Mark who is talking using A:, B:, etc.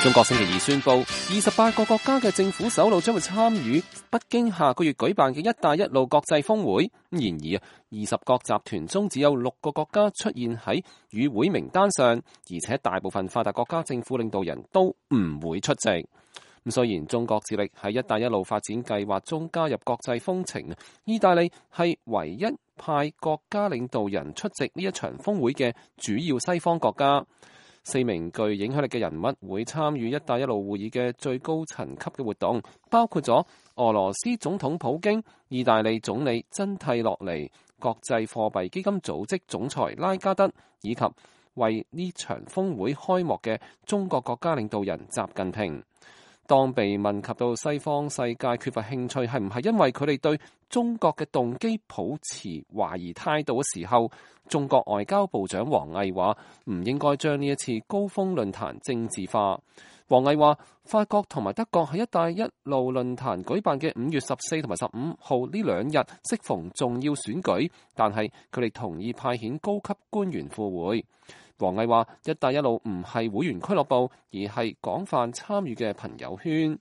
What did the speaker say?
A: 中國星期二宣布，28個國家嘅政府首腦將會參與北京下個月舉辦嘅一帶一路國際峰會。然而，20國集團中只有6個國家出現喺與會名單上，而且大部分發達國家政府領導人都唔會出席。雖然中國致力喺一帶一路發展計劃中加入國際峰程，意大利係唯一派國家領導人出席呢一場峰會嘅主要西方國家。4名具影響力嘅人物會參與一帶一路會議嘅最高層級嘅活動，包括咗俄羅斯總統普京、意大利總理真蒂洛尼、國際貨幣基金組織總裁拉加德，以及為呢場峰會開幕嘅中國國家領導人習近平。當被問及到西方世界缺乏興趣係唔係因為佢哋對中國嘅動機抱持懷疑態度嘅時候，中國外交部長王毅話唔應該將呢一次高峰論壇政治化。王毅話法國同埋德國喺一帶一路論壇舉辦嘅5月14同埋15號呢2日適逢重要選舉，但係佢哋同意派遣高級官員赴會。王毅話：一帶一路唔係會員俱樂部，而係廣泛參與嘅朋友圈。